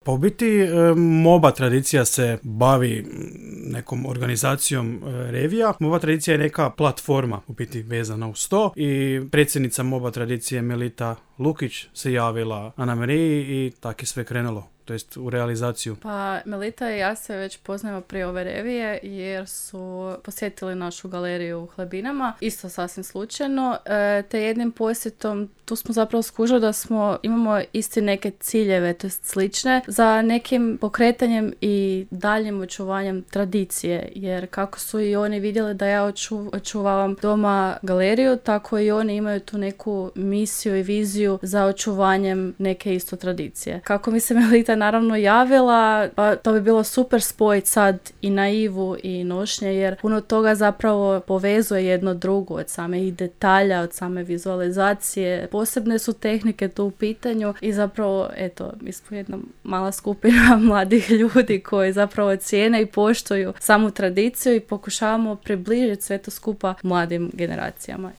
Pa u biti MOBA tradicija se bavi nekom organizacijom revija. MOBA tradicija je neka platforma u biti vezana uz to i predsjednica MOBA tradicije Melita Lukić se javila Anamariji i tako je sve krenulo. To jest u realizaciju. Pa Melita i ja se već poznajemo prije ove revije jer su posjetili našu galeriju u Hlebinama, isto sasvim slučajno, te jednim posjetom tu smo zapravo skužili da imamo isti neke ciljeve, to jest slične, za nekim pokretanjem i daljim očuvanjem tradicije, jer kako su i oni vidjeli da ja očuvavam doma galeriju, tako i oni imaju tu neku misiju i viziju za očuvanjem neke isto tradicije. Kako mi se Melita naravno javila, pa to bi bilo super spojiti sad i naivu i nošnje, jer puno toga zapravo povezuje jedno drugo, od samih detalja, od same vizualizacije. Posebne su tehnike tu u pitanju i zapravo, eto, mi smo jedna mala skupina mladih ljudi koji zapravo cijene i poštuju samu tradiciju i pokušavamo približiti sve to skupa mladim generacijama.